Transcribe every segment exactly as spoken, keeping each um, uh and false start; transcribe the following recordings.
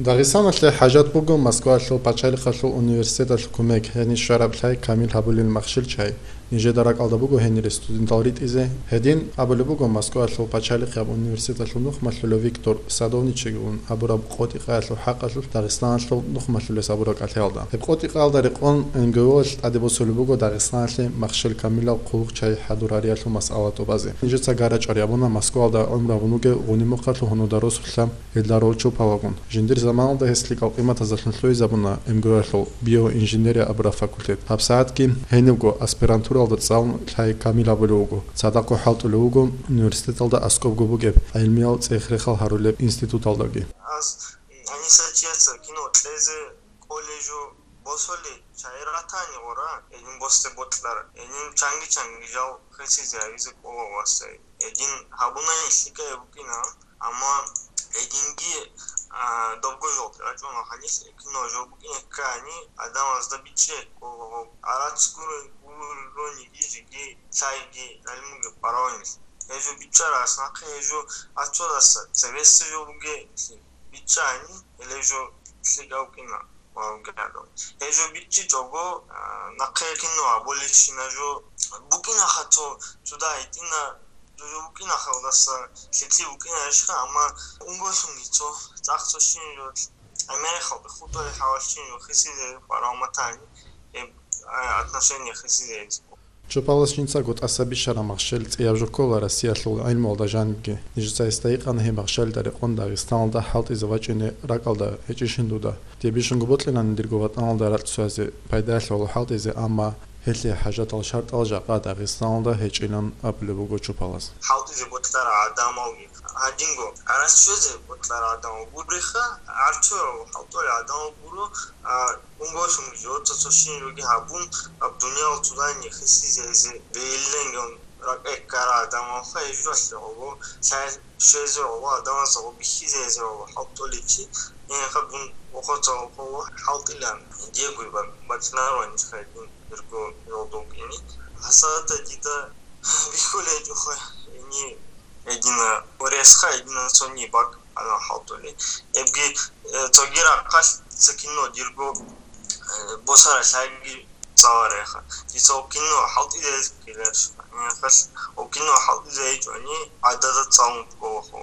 Дагъистаналъе хӀажат буго Москваялъул пачалихъалъул университеталъул кумек, гьенир щвараб лъай камил гьабулел махщел чай. Нижеда ракӀалда буго гьенире студентал ритӀизе. Гьедин абулеб буго Москваялъул пачалихъияб университеталъул нухмалъулев Виктор Садовничиги ун абураб къотӀи-къаялъул хӀакъалъулъ Дагъистаналъул нухмалъулес абураб кӀалъаялда. Гьеб къотӀи-къаялда рекъон М Г О-лъ тӀаде босулеб буго Дагъистаналъе махщел камилал хъулухъ чай хӀадурариялъул масъала тӀубазе. Нижеца гарачӀар ябуна Москваялда гӀумру гьабун вугев гъуни мухъалъул гьунуда росулъа Гьелда рочо палагун, жиндир заманалда гьес лъикӀал къиматазалъун лъугьизабуна М Г О-ялъул биоинженерия абураб факультет. ГьабсагӀатги гьенибго аспирантуралда цӀалун лъай камил гьабулев вуго, цадахъго хӀалтӀулев вуго университеталда аскӀобго бугеб гӀилмиял цӀех-рехал гьарулеб институталдаги. Аз гьаниса чияца кино кьезе кӀолей жо босулей чай ратани гъора, гьедин босде бокьара, гьедин чанги-чанги жал хисизе гьавизе кӀола васай. Гьедин гьабунани лъикӀай букӀина, амма гьединги, а, добго жо рачӀуна гьанилъ кино жо букӀине ккани, адамазда бичӀчӀе кӀола гъоб. Арацгур гурониги жеги лъайги гӀилмуги параванилъ. Гьежо бичӀчӀарас нахъе гьежо ацодаса цевессе жо бугеблъи бичӀчӀани, гьеле жо лъикӀав кӀина. Гьежо бичӀчӀичӀого, а, нахъе кино абулищина жо букӀинаха цо, цо дагьитӀина, жо букӀинахалдаса лъикӀлъи букӀина ишха, амма унголъунги цо, цӀакъ цо щин жо, гӀемерихъалда хутӀулел хӀалалъ щин жо хисизе парав матани, гьеб, а, отношение хисизе. Чупалас жинцаго тӀаса бищараб махщел цӀияб жо ккола Россиялъул гӀилмуялда жанибги. Нижеца гьесда гьикъана гьеб махщелида рекъон Дагъистаналда хӀалтӀизе вачӀине ракӀалда гьечӀищин дуда. Дие бищунго бокьилани дирго ватӀаналда ракь цоязе пайдаялъе гьоло хӀалтӀизе, амма гьелъие хӀажатал шартӀал жакъа Дагъистаналда гьечӀилан абулеб буго Чупалас. ХӀалтӀизе бокьарал гӀадамалги гьадинго, гӀарац щвезе бокьарал гӀадамал гуриха, гӀарцуялъ хӀалтӀулел гӀадамал гуро, а, унголъунги жо цо-цо щин жоги гьабун, гьаб дуниял цо дагьине хисизе гьезе бегьилленгун ракӀе ккарал гӀадамалха гьежулалъе гӀоло, лъай щвезе гӀоло, гӀадамазда гъо бихьизе гьезе гӀоло хӀалтӀулев чи, гьенибха дун вохоцалъухъ хӀалтӀилан, диего бакӀ-, бакӀинаро гьанибха дун дирго жолда вукӀине. Гьасда дида бихьулеб гьечӀоха, гьениб гьедина уресха, гьедина цони бакӀ гьаниб хӀалтӀулеб. Эбги, э, цоги рахъалъ цо кино дирго, э, босараб лъайги цӀалареха. Дица гьеб кино хӀалтӀизе гьечӀо, гьеб кино хӀалтӀизе гьечӀони, гӀадада цӀалун кколаха.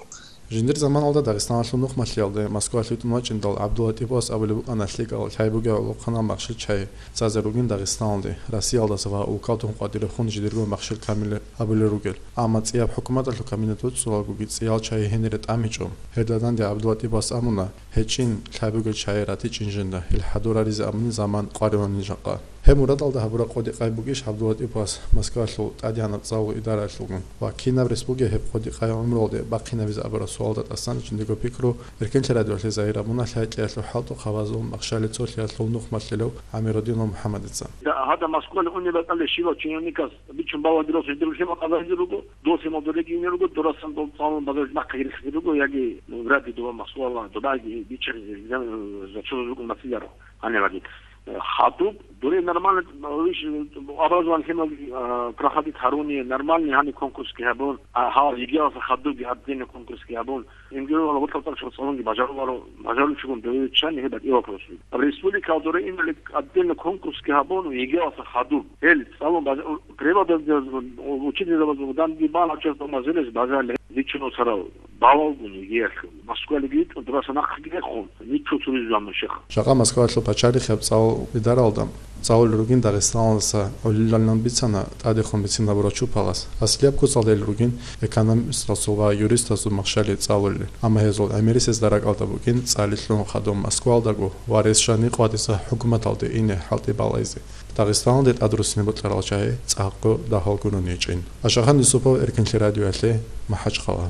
Жиндир заманалда Дагъистаналъул нухмалъиялде Москвалъ витӀун вачӀиндал ГӀабдуллатӀипас абулеб букӀана лъикӀал лъай бугеб гӀолохъанал махщел чай цӀазе ругин Дагъистаналде, Россиялдаса ва улкалдехун къватӀирехун жидерго махщел камил гьабулел ругел. Амма цӀияб хӀукуматалъул кабинет воцӀцӀулагоги цӀиял чай гьенире тӀамичӀо. Гьелда данде ГӀабдуллатӀипас абуна, гьечӀин лъай бугел чай ратичӀин жинда, гьел хӀадураризе абуни заман къваригьунин жакъа. Гьеб мурадалда гьабураб къотӀи-къай бугищ ГӀабдуллатӀипас Москвалъул тӀадегӀанаб цӀалул идараялъулгун ва кинаб рес бугеб гьеб къотӀи-къай гӀумруялде бахъинабизе абураб суалда тӀасан жиндирго пикру Эркенлъи радиоялъе загьир гьабуна лъай кьеялъул хӀалтӀухъ гьабазул махщалил цолъиялъул нухмалъилев ГӀамирудинов МухӀаммадица. Да, гьадаб Москвалде унеб батӀалде щивав чиновникас бичун балагьун дирал жиндирго лъимал къазагьизе руго, досимал дореги ине руго, дорасан дол цӀалун базаралде нахъе рихизе руго, яги, ну, вряд ли доба Москвала, добаги бичӀчӀаризе, э, зачёт рукӀун мацӀиларо гьаниб гьадин. Э, хадуб, дуре нормально, э, иш, э, образование лъимал, э, проходить гьаруни, нормальный гьаниб конкурсги гьабун, а, гьал ЕГЭялъа хадубги отдельный конкурсги гьабун, МГУ-яла вокьа-вокьа цӀалунги бажаруларо, бажарулчӀогун довеччани гьеб батӀи вопрос. Республикаялда дуре инали отдельно конкурсги гьабун, ЕГЭялъа хадуб. Гьел цӀалун бажа-, преподаватель, учительзабазул данде бан гьачӀаз тӀамазилес бажарли личун царал балалгун ЕГЭялъул. Москвалиги витӀун, дураса нахъеги рехун, ничего цуризе жан нушеха. Жакъа Москвалъул пачалихъияб цӀалул идаралда цӀалулел ругин Дагъистаналдаса гӀолилалин бицана тӀадехун бицинабурав Чупалас. Аслияб куцалда ил ругин экономистасул ва юристасул махщали цӀалулел, амма гьезул гӀемерисезда ракӀалда бугин цӀалилъун хадуб Москвалдаго ва рес жаниб къватӀиса хӀукуматалде ине хӀалтӀи балайзе. Дагъистаналде тӀадруссине бокьарал чагӀи цӀакъго дагьал гурони гьечӀин. Ашахан Юсупов, Эркенлъи радиоялъе, МахӀачхъала.